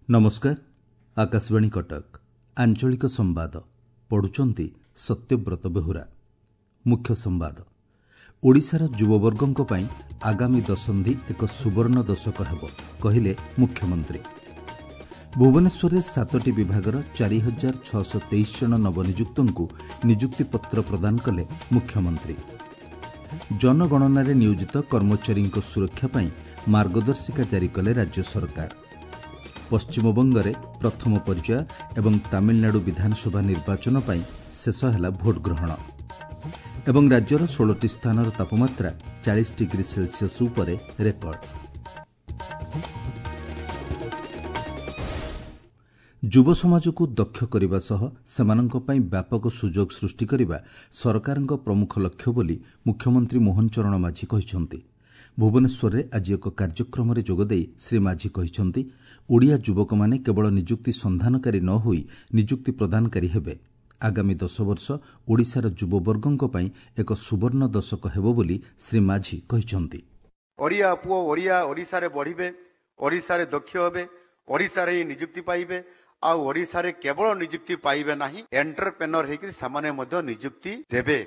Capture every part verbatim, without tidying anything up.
ନମସ୍କାର ଆକାଶବାଣୀ କଟକ ଆଞ୍ଚଳିକ ସମ୍ବାଦ ପଢୁଛନ୍ତି ସତ୍ୟବ୍ରତ ବେହୁରା ମୁଖ୍ୟ ସମ୍ବାଦ ଓଡ଼ିଶାର ଯୁବବର୍ଗଙ୍କ ପାଇଁ ଆଗାମୀ ଦଶନ୍ଧି ଏକ ସୁବର୍ଣ୍ଣ ଦଶକ ହେବ କହିଲେ ମୁଖ୍ୟମନ୍ତ୍ରୀ ଭୁବନେଶ୍ୱରରେ ସାତଟି ବିଭାଗର ଚାରି ହଜାର ଛଅଶହ ତେଇଶ ଜଣ ନବନିଯୁକ୍ତଙ୍କୁ ନିଯୁକ୍ତିପତ୍ର ପ୍ରଦାନ କଲେ ମୁଖ୍ୟମନ୍ତ୍ରୀ ଜନଗଣନାରେ ନିୟୋଜିତ କର୍ମଚାରୀଙ୍କ ସୁରକ୍ଷା ପାଇଁ ମାର୍ଗଦର୍ଶିକା ଜାରି କଲେ ରାଜ୍ୟ ସରକାର ପଶ୍ଚିମବଙ୍ଗରେ ପ୍ରଥମ ପର୍ଯ୍ୟାୟ ଏବଂ ତାମିଲନାଡୁ ବିଧାନସଭା ନିର୍ବାଚନ ପାଇଁ ଶେଷ ହେଲା ଭୋଟଗ୍ରହଣ ଏବଂ ରାଜ୍ୟର ଷୋହଳଟି ସ୍ଥାନର ତାପମାତ୍ରା ଚାଳିଶ ଡିଗ୍ରୀ ସେଲସିୟସ୍ ଉପରେ ରେକର୍ଡ ଯୁବ ସମାଜକୁ ଦକ୍ଷ କରିବା ସହ ସେମାନଙ୍କ ପାଇଁ ବ୍ୟାପକ ସୁଯୋଗ ସୃଷ୍ଟି କରିବା ସରକାରଙ୍କ ପ୍ରମୁଖ ଲକ୍ଷ୍ୟ ବୋଲି ମୁଖ୍ୟମନ୍ତ୍ରୀ ମୋହନ ଚରଣ ମାଝୀ କହିଛନ୍ତି ଭୁବନେଶ୍ୱରରେ ଆଜି ଏକ କାର୍ଯ୍ୟକ୍ରମରେ ଯୋଗଦେଇ ଶ୍ରୀ ମାଝୀ କହିଛନ୍ତି ଓଡ଼ିଆ ଯୁବକମାନେ କେବଳ ନିଯୁକ୍ତି ସନ୍ଧାନକାରୀ ନ ହୋଇ ନିଯୁକ୍ତି ପ୍ରଦାନକାରୀ ହେବେ ଆଗାମୀ ଦଶ ବର୍ଷ ଓଡ଼ିଶାର ଯୁବବର୍ଗଙ୍କ ପାଇଁ ଏକ ସୁବର୍ଣ୍ଣ ଦଶକ ହେବ ବୋଲି ଶ୍ରୀ ମାଝୀ କହିଛନ୍ତି ଓଡ଼ିଆ ପୁଅ ଓଡ଼ିଆ ଓଡ଼ିଶାରେ ବଢ଼ିବେ ଓଡ଼ିଶାରେ ଦକ୍ଷ ହେବେ ଓଡ଼ିଶାରେ ହିଁ ନିଯୁକ୍ତି ପାଇବେ ଆଉ ଓଡ଼ିଶାରେ କେବଳ ନିଯୁକ୍ତି ପାଇବେ ନାହିଁ ଏଣ୍ଟରପ୍ରେନର ହେଇକି ସେମାନେ ମଧ୍ୟ ନିଯୁକ୍ତି ଦେବେ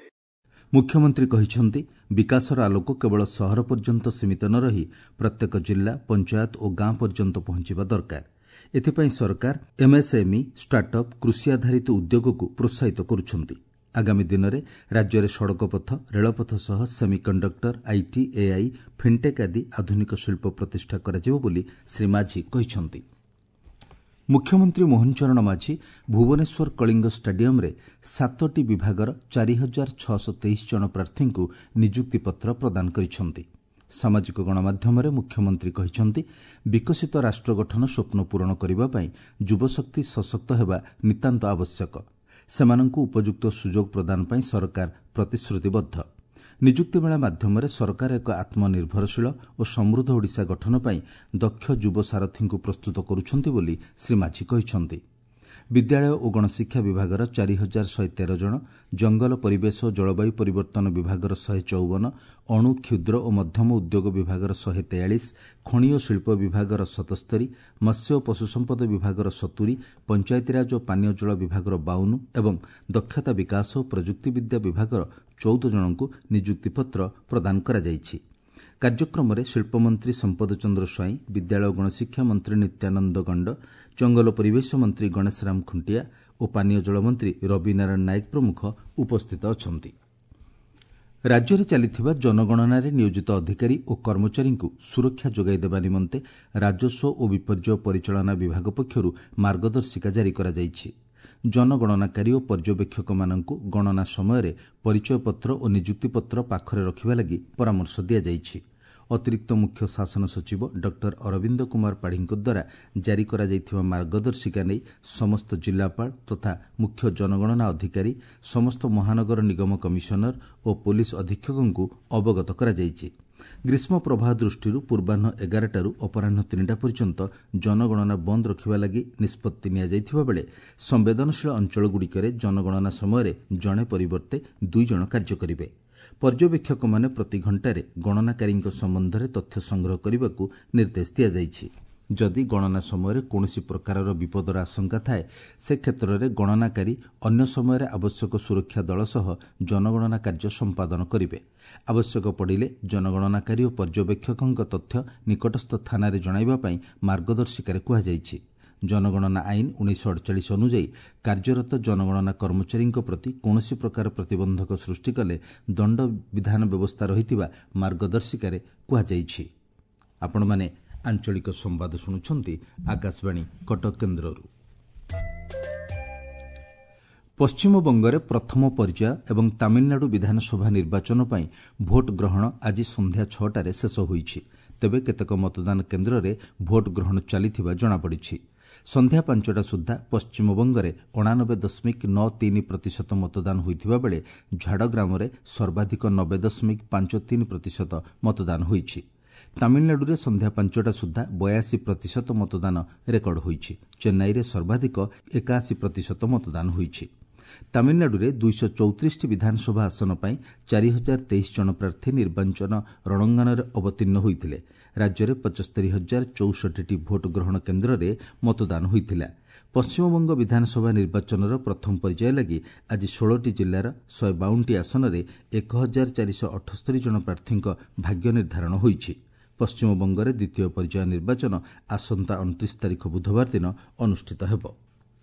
ମୁଖ୍ୟମନ୍ତ୍ରୀ କହିଛନ୍ତି ବିକାଶର ଆଲୋକ କେବଳ ସହର ପର୍ଯ୍ୟନ୍ତ ସୀମିତ ନ ରହି ପ୍ରତ୍ୟେକ ଜିଲ୍ଲା ପଞ୍ଚାୟତ ଓ ଗାଁ ପର୍ଯ୍ୟନ୍ତ ପହଞ୍ଚିବା ଦରକାର ଏଥିପାଇଁ ସରକାର ଏମ୍ଏସ୍ଏମ୍ଇ ଷ୍ଟାର୍ଟଅପ୍ କୃଷି ଆଧାରିତ ଉଦ୍ୟୋଗକୁ ପ୍ରୋତ୍ସାହିତ କରୁଛନ୍ତି ଆଗାମୀ ଦିନରେ ରାଜ୍ୟରେ ସଡ଼କପଥ ରେଳପଥ ସହ ସେମିକଣ୍ଡକ୍ଟର IT AI fintech ଆଦି ଆଧୁନିକ ଶିଳ୍ପ ପ୍ରତିଷ୍ଠା କରାଯିବ ବୋଲି ଶ୍ରୀ ମାଝୀ କହିଛନ୍ତି ମୁଖ୍ୟମନ୍ତ୍ରୀ ମୋହନ ଚରଣ ମାଝୀ ଭୁବନେଶ୍ୱର କଳିଙ୍ଗ ଷ୍ଟାଡିୟମ୍ରେ ସାତଟି ବିଭାଗର ଚାରି ହଜାର ଛଅଶହ ତେଇଶ ଜଣ ପ୍ରାର୍ଥୀଙ୍କୁ ନିଯୁକ୍ତିପତ୍ର ପ୍ରଦାନ କରିଛନ୍ତି ସାମାଜିକ ଗଣମାଧ୍ୟମରେ ମୁଖ୍ୟମନ୍ତ୍ରୀ କହିଛନ୍ତି ବିକଶିତ ରାଷ୍ଟ୍ର ଗଠନ ସ୍ୱପ୍ନ ପୂରଣ କରିବା ପାଇଁ ଯୁବଶକ୍ତି ସଶକ୍ତ ହେବା ନିତାନ୍ତ ଆବଶ୍ୟକ ସେମାନଙ୍କୁ ଉପଯୁକ୍ତ ସୁଯୋଗ ପ୍ରଦାନ ପାଇଁ ସରକାର ପ୍ରତିଶ୍ରୁତିବଦ୍ଧ ନିଯୁକ୍ତି ମେଳା ମାଧ୍ୟମରେ ସରକାର ଏକ ଆତ୍ମନିର୍ଭରଶୀଳ ଓ ସମୃଦ୍ଧ ଓଡ଼ିଶା ଗଠନ ପାଇଁ ଦକ୍ଷ ଯୁବ ସାରଥୀଙ୍କୁ ପ୍ରସ୍ତୁତ କରୁଛନ୍ତି ବୋଲି ଶ୍ରୀ ମାଝୀ କହିଛନ୍ତି ବିଦ୍ୟାଳୟ ଓ ଗଣଶିକ୍ଷା ବିଭାଗର ଚାରି ହଜାର ଶହେ ତେର ଜଣ ଜଙ୍ଗଲ ପରିବେଶ ଓ ଜଳବାୟୁ ପରିବର୍ତ୍ତନ ବିଭାଗର ଶହେ ଚଉବନ ଅଣୁ କ୍ଷୁଦ୍ର ଓ ମଧ୍ୟମ ଉଦ୍ୟୋଗ ବିଭାଗର ଶହେ ତେୟାଳିଶ ଖଣି ଓ ଶିଳ୍ପ ବିଭାଗର ସତସ୍ତରୀ ମତ୍ସ୍ୟ ଓ ପଶୁସମ୍ପଦ ବିଭାଗର ସତୁରି ପଞ୍ଚାୟତିରାଜ ଓ ପାନୀୟ ଜଳ ବିଭାଗର ବାଉନ ଏବଂ ଦକ୍ଷତା ବିକାଶ ଓ ପ୍ରଯୁକ୍ତିବିଦ୍ୟା ବିଭାଗର ଚଉଦ ଜଣଙ୍କୁ ନିଯୁକ୍ତିପତ୍ର ପ୍ରଦାନ କରାଯାଇଛି କାର୍ଯ୍ୟକ୍ରମରେ ଶିଳ୍ପମନ୍ତ୍ରୀ ସମ୍ପଦ ଚନ୍ଦ୍ର ସ୍ୱାଇଁ ବିଦ୍ୟାଳୟ ଗଣଶିକ୍ଷା ମନ୍ତ୍ରୀ ନିତ୍ୟାନନ୍ଦ ଗଣ୍ଡ ଜଙ୍ଗଲ ପରିବେଶ ମନ୍ତ୍ରୀ ଗଣେଶ ରାମ ଖୁଣ୍ଟିଆ ଓ ପାନୀୟ ଜଳ ମନ୍ତ୍ରୀ ରବି ନାରାୟଣ ନାୟକ ପ୍ରମୁଖ ଉପସ୍ଥିତ ଅଛନ୍ତି ରାଜ୍ୟରେ ଚାଲିଥିବା ଜନଗଣନାରେ ନିୟୋଜିତ ଅଧିକାରୀ ଓ କର୍ମଚାରୀଙ୍କୁ ସୁରକ୍ଷା ଯୋଗାଇ ଦେବା ନିମନ୍ତେ ରାଜସ୍ୱ ଓ ବିପର୍ଯ୍ୟୟ ପରିଚାଳନା ବିଭାଗ ପକ୍ଷରୁ ମାର୍ଗଦର୍ଶିକା ଜାରି କରାଯାଇଛି ଜନଗଣନାକାରୀ ଓ ପର୍ଯ୍ୟବେକ୍ଷକମାନଙ୍କୁ ଗଣନା ସମୟରେ ପରିଚୟପତ୍ର ଓ ନିଯୁକ୍ତିପତ୍ର ପାଖରେ ରଖିବା ଲାଗି ପରାମର୍ଶ ଦିଆଯାଇଛି ଅତିରିକ୍ତ ମୁଖ୍ୟ ଶାସନ ସଚିବ ଡକ୍ଟର ଅରବିନ୍ଦ କୁମାର ପାଢ଼ୀଙ୍କ ଦ୍ୱାରା ଜାରି କରାଯାଇଥିବା ମାର୍ଗଦର୍ଶିକା ନେଇ ସମସ୍ତ ଜିଲ୍ଲାପାଳ ତଥା ମୁଖ୍ୟ ଜନଗଣନା ଅଧିକାରୀ ସମସ୍ତ ମହାନଗର ନିଗମ କମିଶନର ଓ ପୋଲିସ ଅଧୀକ୍ଷକଙ୍କୁ ଅବଗତ କରାଯାଇଛି ଗ୍ରୀଷ୍ମ ପ୍ରବାହ ଦୃଷ୍ଟିରୁ ପୂର୍ବାହ୍ନ ଏଗାରଟାରୁ ଅପରାହ୍ନ ତିନିଟା ପର୍ଯ୍ୟନ୍ତ ଜନଗଣନା ବନ୍ଦ ରଖିବା ଲାଗି ନିଷ୍ପତ୍ତି ନିଆଯାଇଥିବା ବେଳେ ସମ୍ବେଦନଶୀଳ ଅଞ୍ଚଳଗୁଡ଼ିକରେ ଜନଗଣନା ସମୟରେ ଜଣେ ପରିବର୍ତ୍ତେ ଦୁଇ ଜଣ କାର୍ଯ୍ୟ କରିବେ ପର୍ଯ୍ୟବେକ୍ଷକମାନେ ପ୍ରତି ଘଣ୍ଟାରେ ଗଣନାକାରୀଙ୍କ ସମ୍ବନ୍ଧରେ ତଥ୍ୟ ସଂଗ୍ରହ କରିବାକୁ ନିର୍ଦ୍ଦେଶ ଦିଆଯାଇଛି ଯଦି ଗଣନା ସମୟରେ କୌଣସି ପ୍ରକାରର ବିପଦର ଆଶଙ୍କା ଥାଏ ସେ କ୍ଷେତ୍ରରେ ଗଣନାକାରୀ ଅନ୍ୟ ସମୟରେ ଆବଶ୍ୟକ ସୁରକ୍ଷା ଦଳ ସହ ଜନଗଣନା କାର୍ଯ୍ୟ ସମ୍ପାଦନ କରିବେ ଆବଶ୍ୟକ ପଡ଼ିଲେ ଜନଗଣନାକାରୀ ଓ ପର୍ଯ୍ୟବେକ୍ଷକଙ୍କ ତଥ୍ୟ ନିକଟସ୍ଥ ଥାନାରେ ଜଣାଇବା ପାଇଁ ମାର୍ଗଦର୍ଶିକାରେ କୁହାଯାଇଛି ଜନଗଣନା ଆଇନ ଉଣେଇଶହ ଅଡ଼ଚାଳିଶ ଅନୁଯାୟୀ କାର୍ଯ୍ୟରତ ଜନଗଣନା କର୍ମଚାରୀଙ୍କ ପ୍ରତି କୌଣସି ପ୍ରକାର ପ୍ରତିବନ୍ଧକ ସୃଷ୍ଟି କଲେ ଦଣ୍ଡ ବିଧାନ ବ୍ୟବସ୍ଥା ରହିଥିବା ମାର୍ଗଦର୍ଶିକାରେ କୁହାଯାଇଛି ଆପଣମାନେ ଆଞ୍ଚଳିକ ସମ୍ବାଦ ଶୁଣୁଛନ୍ତି ଆକାଶବାଣୀ କଟକ କେନ୍ଦ୍ରରୁ ପଶ୍ଚିମବଙ୍ଗରେ ପ୍ରଥମ ପର୍ଯ୍ୟାୟ ଏବଂ ତାମିଲନାଡୁ ବିଧାନସଭା ନିର୍ବାଚନ ପାଇଁ ଭୋଟ ଗ୍ରହଣ ଆଜି ସନ୍ଧ୍ୟା ଛଅଟାରେ ଶେଷ ହୋଇଛି ତେବେ କେତେକ ମତଦାନ କେନ୍ଦ୍ରରେ ଭୋଟ ଗ୍ରହଣ ଚାଲିଥିବା ଜଣାପଡ଼ିଛି ସନ୍ଧ୍ୟା ପାଞ୍ଚଟା ସୁଦ୍ଧା ପଶ୍ଚିମବଙ୍ଗରେ ଅଣାନବେ ଦଶମିକ ନଅ ତିନି ପ୍ରତିଶତ ମତଦାନ ହୋଇଥିବା ବେଳେ ଝାଡ଼ଗ୍ରାମରେ ସର୍ବାଧିକ ନବେ ଦଶମିକ ପାଞ୍ଚ ତିନି ପ୍ରତିଶତ ମତଦାନ ହୋଇଛି ତାମିଲନାଡୁରେ ସନ୍ଧ୍ୟା ପାଞ୍ଚଟା ସୁଦ୍ଧା ବୟାଅଶୀ ପ୍ରତିଶତ ମତଦାନ ରେକର୍ଡ ହୋଇଛି ଚେନ୍ନାଇରେ ସର୍ବାଧିକ ଏକାଅଶୀ ପ୍ରତିଶତ ମତଦାନ ହୋଇଛି ତାମିଲନାଡୁରେ ଦୁଇଶହ ଚଉତିରିଶଟି ବିଧାନସଭା ଆସନ ପାଇଁ ଚାରି ହଜାର ତେଇଶ ଜଣ ପ୍ରାର୍ଥୀ ନିର୍ବାଚନ ରଣଙ୍ଗନରେ ଅବତୀର୍ଣ୍ଣ ହୋଇଥିଲେ। ରାଜ୍ୟରେ ପଞ୍ଚସ୍ତରୀ ହଜାର ଚଉଷଠିଟି ଭୋଟ ଗ୍ରହଣ କେନ୍ଦ୍ରରେ ମତଦାନ ହୋଇଥିଲା। ପଶ୍ଚିମବଙ୍ଗ ବିଧାନସଭା ନିର୍ବାଚନର ପ୍ରଥମ ପର୍ଯ୍ୟାୟ ଲାଗି ଆଜି ଷୋହଳଟି ଜିଲ୍ଲାର ଶହେ ବାଉନଟି ଆସନରେ ଏକ ହଜାର ଚାରିଶହ ଅଠସ୍ତରୀ ଜଣ ପ୍ରାର୍ଥୀଙ୍କ ଭାଗ୍ୟ ନିର୍ଦ୍ଧାରଣ ହୋଇଛି। ପଶ୍ଚିମବଙ୍ଗରେ ଦ୍ୱିତୀୟ ପର୍ଯ୍ୟାୟ ନିର୍ବାଚନ ଆସନ୍ତା ଅଣତିରିଶ ତାରିଖ ବୁଧବାର ଦିନ ଅନୁଷ୍ଠିତ ହେବ।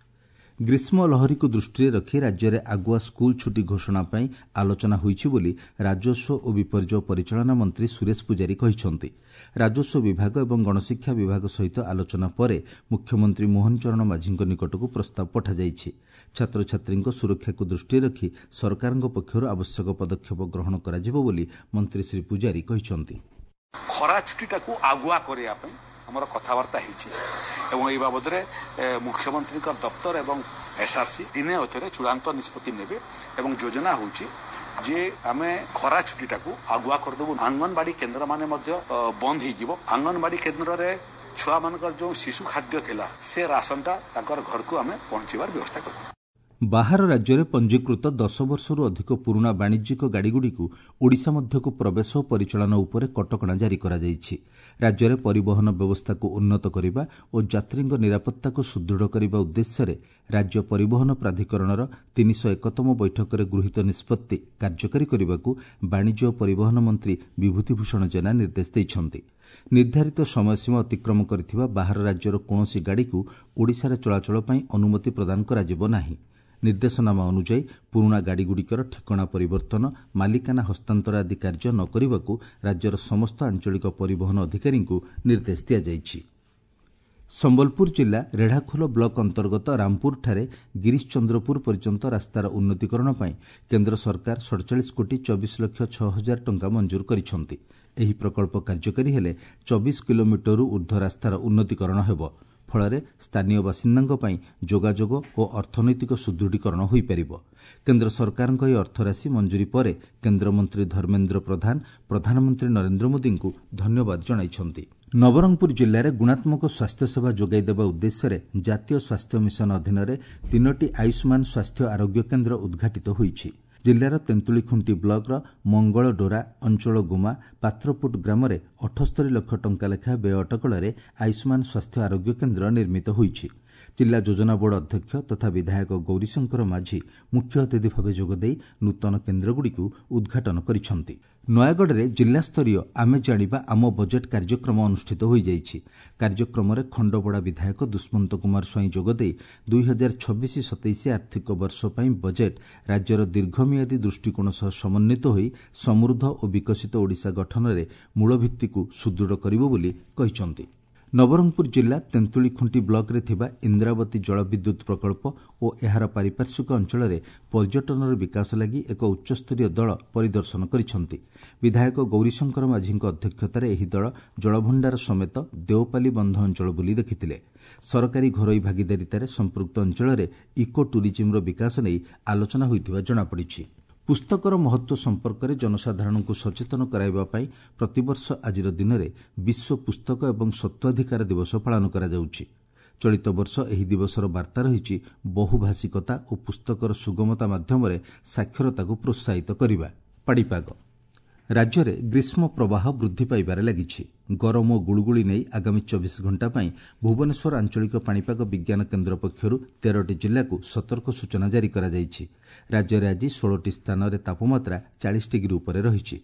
ଗ୍ରୀଷ୍ମ ଲହରୀକୁ ଦୃଷ୍ଟିରେ ରଖି ରାଜ୍ୟରେ ଆଗୁଆ ସ୍କୁଲ ଛୁଟି ଘୋଷଣା ପାଇଁ ଆଲୋଚନା ହୋଇଛି ବୋଲି ରାଜସ୍ୱ ଓ ବିପର୍ଯ୍ୟୟ ପରିଚାଳନା ମନ୍ତ୍ରୀ ସୁରେଶ ପୂଜାରୀ କହିଛନ୍ତି। ରାଜସ୍ୱ ବିଭାଗ ଏବଂ ଗଣଶିକ୍ଷା ବିଭାଗ ସହିତ ଆଲୋଚନା ପରେ ମୁଖ୍ୟମନ୍ତ୍ରୀ ମୋହନ ଚରଣ ମାଝୀଙ୍କ ନିକଟକୁ ପ୍ରସ୍ତାବ ପଠାଯାଇଛି। ଛାତ୍ରଛାତ୍ରୀଙ୍କ ସୁରକ୍ଷାକୁ ଦୃଷ୍ଟିରେ ରଖି ସରକାରଙ୍କ ପକ୍ଷରୁ ଆବଶ୍ୟକ ପଦକ୍ଷେପ ଗ୍ରହଣ କରାଯିବ ବୋଲି ମନ୍ତ୍ରୀ ଶ୍ରୀ ପୂଜାରୀ କହିଛନ୍ତି। ଖରା ଛୁଟିଟାକୁ ଆଗୁଆ କରିବା ପାଇଁ ଆମର କଥାବାର୍ତ୍ତା ହେଇଛି ଏବଂ ଏହି ବାବଦରେ ମୁଖ୍ୟମନ୍ତ୍ରୀଙ୍କ ଦପ୍ତର ଏବଂ ଏସ୍ଆର୍ସି ଦିନେ ଅଧରେ ଚୂଡ଼ାନ୍ତ ନିଷ୍ପତ୍ତି ନେବେ ଏବଂ ଯୋଜନା ହେଉଛି ଯେ ଆମେ ଖରା ଛୁଟିଟାକୁ ଆଗୁଆ କରିଦେବୁ। ଅଙ୍ଗନବାଡ଼ି କେନ୍ଦ୍ରମାନେ ମଧ୍ୟ ବନ୍ଦ ହେଇଯିବ। ଅଙ୍ଗନବାଡ଼ି କେନ୍ଦ୍ରରେ ଛୁଆମାନଙ୍କର ଯେଉଁ ଶିଶୁ ଖାଦ୍ୟ ଥିଲା ସେ ରାସନଟା ତାଙ୍କର ଘରକୁ ଆମେ ପହଞ୍ଚିବାର ବ୍ୟବସ୍ଥା କରିବୁ। ବାହାର ରାଜ୍ୟରେ ପଞ୍ଜୀକୃତ ଦଶ ବର୍ଷରୁ ଅଧିକ ପୁରୁଣା ବାଣିଜ୍ୟିକ ଗାଡ଼ିଗୁଡ଼ିକୁ ଓଡ଼ିଶା ମଧ୍ୟକୁ ପ୍ରବେଶ ଓ ପରିଚାଳନା ଉପରେ କଟକଣା ଜାରି କରାଯାଇଛି। ରାଜ୍ୟରେ ପରିବହନ ବ୍ୟବସ୍ଥାକୁ ଉନ୍ନତ କରିବା ଓ ଯାତ୍ରୀଙ୍କ ନିରାପତ୍ତାକୁ ସୁଦୃଢ଼ କରିବା ଉଦ୍ଦେଶ୍ୟରେ ରାଜ୍ୟ ପରିବହନ ପ୍ରାଧିକରଣର ତିନିଶହ ଏକତମ ବୈଠକରେ ଗୃହୀତ ନିଷ୍ପତ୍ତି କାର୍ଯ୍ୟକାରୀ କରିବାକୁ ବାଣିଜ୍ୟ ଓ ପରିବହନ ମନ୍ତ୍ରୀ ବିଭୂତିଭୂଷଣ ଜେନା ନିର୍ଦ୍ଦେଶ ଦେଇଛନ୍ତି। ନିର୍ଦ୍ଧାରିତ ସମୟସୀମା ଅତିକ୍ରମ କରିଥିବା ବାହାର ରାଜ୍ୟର କୌଣସି ଗାଡ଼ିକୁ ଓଡ଼ିଶାରେ ଚଳାଚଳ ପାଇଁ ଅନୁମତି ପ୍ରଦାନ କରାଯିବ ନାହିଁ। ନିର୍ଦ୍ଦେଶନାମା ଅନୁଯାୟୀ ପୁରୁଣା ଗାଡ଼ିଗୁଡ଼ିକର ଠିକଣା ପରିବର୍ତ୍ତନ, ମାଲିକାନା ହସ୍ତାନ୍ତର ଆଦି କାର୍ଯ୍ୟ ନ କରିବାକୁ ରାଜ୍ୟର ସମସ୍ତ ଆଞ୍ଚଳିକ ପରିବହନ ଅଧିକାରୀଙ୍କୁ ନିର୍ଦ୍ଦେଶ ଦିଆଯାଇଛି। ସମ୍ବଲପୁର ଜିଲ୍ଲା ରେଢ଼ାଖୋଲ ବ୍ଲକ ଅନ୍ତର୍ଗତ ରାମପୁରଠାରେ ଗିରିଶ ଚନ୍ଦ୍ରପୁର ପର୍ଯ୍ୟନ୍ତ ରାସ୍ତାର ଉନ୍ନତିକରଣ ପାଇଁ କେନ୍ଦ୍ର ସରକାର ସଡ଼ଚାଳିଶ କୋଟି ଚବିଶ ଲକ୍ଷ ଛଅ ହଜାର ଟଙ୍କା ମଞ୍ଜୁର କରିଛନ୍ତି। ଏହି ପ୍ରକଳ୍ପ କାର୍ଯ୍ୟକାରୀ ହେଲେ ଚବିଶ କିଲୋମିଟରରୁ ଊର୍ଦ୍ଧ୍ୱ ରାସ୍ତାର ଉନ୍ନତିକରଣ ହେବ। ଫଳରେ ସ୍ଥାନୀୟ ବାସିନ୍ଦାଙ୍କ ପାଇଁ ଯୋଗାଯୋଗ ଓ ଅର୍ଥନୈତିକ ସୁଦୃଢ଼ୀକରଣ ହୋଇପାରିବ। କେନ୍ଦ୍ର ସରକାରଙ୍କ ଏହି ଅର୍ଥରାଶି ମଞ୍ଜୁରୀ ପରେ କେନ୍ଦ୍ରମନ୍ତ୍ରୀ ଧର୍ମେନ୍ଦ୍ର ପ୍ରଧାନ ପ୍ରଧାନମନ୍ତ୍ରୀ ନରେନ୍ଦ୍ର ମୋଦିଙ୍କୁ ଧନ୍ୟବାଦ ଜଣାଇଛନ୍ତି। ନବରଙ୍ଗପୁର ଜିଲ୍ଲାରେ ଗୁଣାତ୍ମକ ସ୍ୱାସ୍ଥ୍ୟସେବା ଯୋଗାଇ ଦେବା ଉଦ୍ଦେଶ୍ୟରେ ଜାତୀୟ ସ୍ୱାସ୍ଥ୍ୟ ମିଶନ ଅଧୀନରେ ତିନୋଟି ଆୟୁଷ୍ମାନ ସ୍ୱାସ୍ଥ୍ୟ ଆରୋଗ୍ୟ କେନ୍ଦ୍ର ଉଦ୍ଘାଟିତ ହୋଇଛି। ଜିଲ୍ଲାର ତେନ୍ତୁଳିଖୁଣ୍ଟି ବ୍ଲକର ମଙ୍ଗଳଡୋରା ଅଞ୍ଚଳ ଗୁମା ପାତ୍ରପୁଟ ଗ୍ରାମରେ ଅଠସ୍ତରୀ ଲକ୍ଷ ଟଙ୍କା ଲେଖାଏଁ ବ୍ୟୟ ଅଟକଳରେ ଆୟୁଷ୍ମାନ ସ୍ୱାସ୍ଥ୍ୟ ଆରୋଗ୍ୟ କେନ୍ଦ୍ର ନିର୍ମିତ ହୋଇଛି। ଜିଲ୍ଲା ଯୋଜନା ବୋର୍ଡ ଅଧ୍ୟକ୍ଷ ତଥା ବିଧାୟକ ଗୌରୀଶଙ୍କର ମାଝୀ ମୁଖ୍ୟ ଅତିଥି ଭାବେ ଯୋଗଦେଇ ନୂତନ କେନ୍ଦ୍ରଗୁଡ଼ିକୁ ଉଦ୍ଘାଟନ କରିଛନ୍ତି। ନୟାଗଡ଼ରେ ଜିଲ୍ଲାସ୍ତରୀୟ ଆମେ ଜାଣିବା ଆମ ବଜେଟ୍ କାର୍ଯ୍ୟକ୍ରମ ଅନୁଷ୍ଠିତ ହୋଇଯାଇଛି। କାର୍ଯ୍ୟକ୍ରମରେ ଖଣ୍ଡପଡ଼ା ବିଧାୟକ ଦୁଷ୍ମନ୍ତ କୁମାର ସ୍ୱାଇଁ ଯୋଗଦେଇ ଦୁଇ ହଜାର ଛବିଶ ସତେଇଶ ଆର୍ଥିକ ବର୍ଷ ପାଇଁ ବଜେଟ୍ ରାଜ୍ୟର ଦୀର୍ଘମିଆଦୀ ଦୃଷ୍ଟିକୋଣ ସହ ସମନ୍ୱିତ ହୋଇ ସମୃଦ୍ଧ ଓ ବିକଶିତ ଓଡ଼ିଶା ଗଠନରେ ମୂଳଭିତ୍ତିକୁ ସୁଦୃଢ଼ କରିବ ବୋଲି କହିଛନ୍ତି। ନବରଙ୍ଗପୁର ଜିଲ୍ଲା ତେନ୍ତୁଳିଖୁଣ୍ଟି ବ୍ଲକରେ ଥିବା ଇନ୍ଦ୍ରାବତୀ ଜଳବିଦ୍ୟୁତ୍ ପ୍ରକଳ୍ପ ଓ ଏହାର ପାରିପାର୍ଶ୍ୱିକ ଅଞ୍ଚଳରେ ପର୍ଯ୍ୟଟନର ବିକାଶ ଲାଗି ଏକ ଉଚ୍ଚସ୍ତରୀୟ ଦଳ ପରିଦର୍ଶନ କରିଛନ୍ତି। ବିଧାୟକ ଗୌରୀଶଙ୍କର ମାଝୀଙ୍କ ଅଧ୍ୟକ୍ଷତାରେ ଏହି ଦଳ ଜଳଭଣ୍ଡାର ସମେତ ଦେଓପାଲି ବନ୍ଧ ଅଞ୍ଚଳ ବୁଲି ଦେଖିଥିଲେ। ସରକାରୀ ଘରୋଇ ଭାଗିଦାରିତାରେ ସମ୍ପୃକ୍ତ ଅଞ୍ଚଳରେ ଇକୋ ଟୁରିଜିମ୍ର ବିକାଶ ନେଇ ଆଲୋଚନା ହୋଇଥିବା ଜଣାପଡ଼ିଛି। ପୁସ୍ତକର ମହତ୍ତ୍ୱ ସମ୍ପର୍କରେ ଜନସାଧାରଣଙ୍କୁ ସଚେତନ କରାଇବା ପାଇଁ ପ୍ରତିବର୍ଷ ଆଜିର ଦିନରେ ବିଶ୍ୱ ପୁସ୍ତକ ଏବଂ ସତ୍ୱାଧିକାର ଦିବସ ପାଳନ କରାଯାଉଛି। ଚଳିତ ବର୍ଷ ଏହି ଦିବସର ବାର୍ତ୍ତା ରହିଛି ବହୁଭାଷିକତା ଓ ପୁସ୍ତକର ସୁଗମତା ମାଧ୍ୟମରେ ସାକ୍ଷରତାକୁ ପ୍ରୋତ୍ସାହିତ କରିବା। ପାଣିପାଗ ରାଜ୍ୟରେ ଗ୍ରୀଷ୍ମ ପ୍ରବାହ ବୃଦ୍ଧି ପାଇବାରେ ଲାଗିଛି। ଗରମ ଓ ଗୁଳୁଗୁଳି ନେଇ ଆଗାମୀ ଚବିଶ ଘଣ୍ଟା ପାଇଁ ଭୁବନେଶ୍ୱର ଆଞ୍ଚଳିକ ପାଣିପାଗ ବିଜ୍ଞାନ କେନ୍ଦ୍ର ପକ୍ଷରୁ ତେରଟି ଜିଲ୍ଲାକୁ ସତର୍କ ସୂଚନା ଜାରି କରାଯାଇଛି। ରାଜ୍ୟରେ ଆଜି ଷୋହଳଟି ସ୍ଥାନରେ ତାପମାତ୍ରା ଚାଳିଶ ଡିଗ୍ରୀ ଉପରେ ରହିଛି।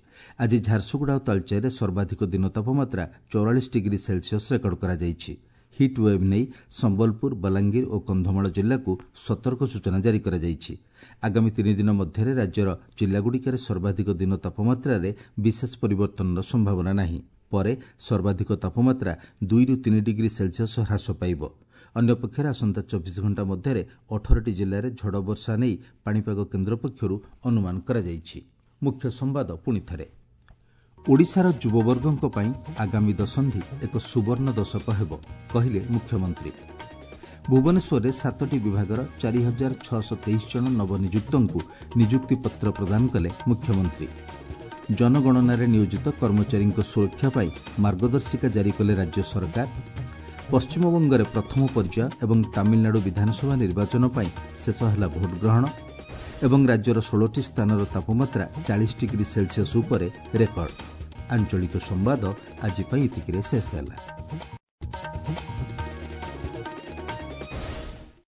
ଆଜି ଝାରସୁଗୁଡ଼ା ଓ ତାଳଚେରରେ ସର୍ବାଧିକ ଦିନ ତାପମାତ୍ରା ଚଉରାଳିଶ ଡିଗ୍ରୀ ସେଲସିୟସ୍ ରେକର୍ଡ କରାଯାଇଛି। ହିଟ୍ ୱେଭ୍ ନେଇ ସମ୍ବଲପୁର, ବଲାଙ୍ଗୀର ଓ କନ୍ଧମାଳ ଜିଲ୍ଲାକୁ ସତର୍କ ସୂଚନା ଜାରି କରାଯାଇଛି। ଆଗାମୀ ତିନି ଦିନ ମଧ୍ୟରେ ରାଜ୍ୟର ଜିଲ୍ଲାଗୁଡ଼ିକରେ ସର୍ବାଧିକ ଦିନ ତାପମାତ୍ରାରେ ବିଶେଷ ପରିବର୍ତ୍ତନର ସମ୍ଭାବନା ନାହିଁ। ପରେ ସର୍ବାଧିକ ତାପମାତ୍ରା ଦୁଇରୁ ତିନି ଡିଗ୍ରୀ ସେଲସିୟସ୍ ହ୍ରାସ ପାଇବ। ଅନ୍ୟପକ୍ଷରେ ଆସନ୍ତା ଚବିଶ ଘଣ୍ଟା ମଧ୍ୟରେ ଅଠରଟି ଜିଲ୍ଲାରେ ଝଡ଼ ବର୍ଷା ନେଇ ପାଣିପାଗ କେନ୍ଦ୍ର ପକ୍ଷରୁ ଅନୁମାନ କରାଯାଇଛି। ମୁଖ୍ୟ ସମ୍ବାଦ ପୁଣିଥରେ, ଓଡ଼ିଶାର ଯୁବବର୍ଗଙ୍କ ପାଇଁ ଆଗାମୀ ଦଶନ୍ଧି ଏକ ସୁବର୍ଣ୍ଣ ଦଶକ ହେବ, କହିଲେ ମୁଖ୍ୟମନ୍ତ୍ରୀ। ଭୁବନେଶ୍ୱରରେ ସାତଟି ବିଭାଗର ଚାରି ହଜାର ଛଅଶହ ତେଇଶ ଜଣ ନବନିଯୁକ୍ତଙ୍କୁ ନିଯୁକ୍ତିପତ୍ର ପ୍ରଦାନ କଲେ ମୁଖ୍ୟମନ୍ତ୍ରୀ। ଜନଗଣନାରେ ନିୟୋଜିତ କର୍ମଚାରୀଙ୍କ ସୁରକ୍ଷା ପାଇଁ ମାର୍ଗଦର୍ଶିକା ଜାରି କଲେ ରାଜ୍ୟ ସରକାର। ପଶ୍ଚିମବଙ୍ଗରେ ପ୍ରଥମ ପର୍ଯ୍ୟାୟ ଏବଂ ତାମିଲନାଡୁ ବିଧାନସଭା ନିର୍ବାଚନ ପାଇଁ ଶେଷ ହେଲା ଭୋଟଗ୍ରହଣ। ଏବଂ ରାଜ୍ୟର ଷୋହଳଟି ସ୍ଥାନର ତାପମାତ୍ରା ଚାଳିଶ ଡିଗ୍ରୀ ସେଲସିୟସ୍ ଉପରେ ରେକର୍ଡ। ଆଞ୍ଚଳିକ ସମ୍ବାଦ ଆଜି ପାଇଁ ଏତିକିରେ ଶେଷ ହେଲା।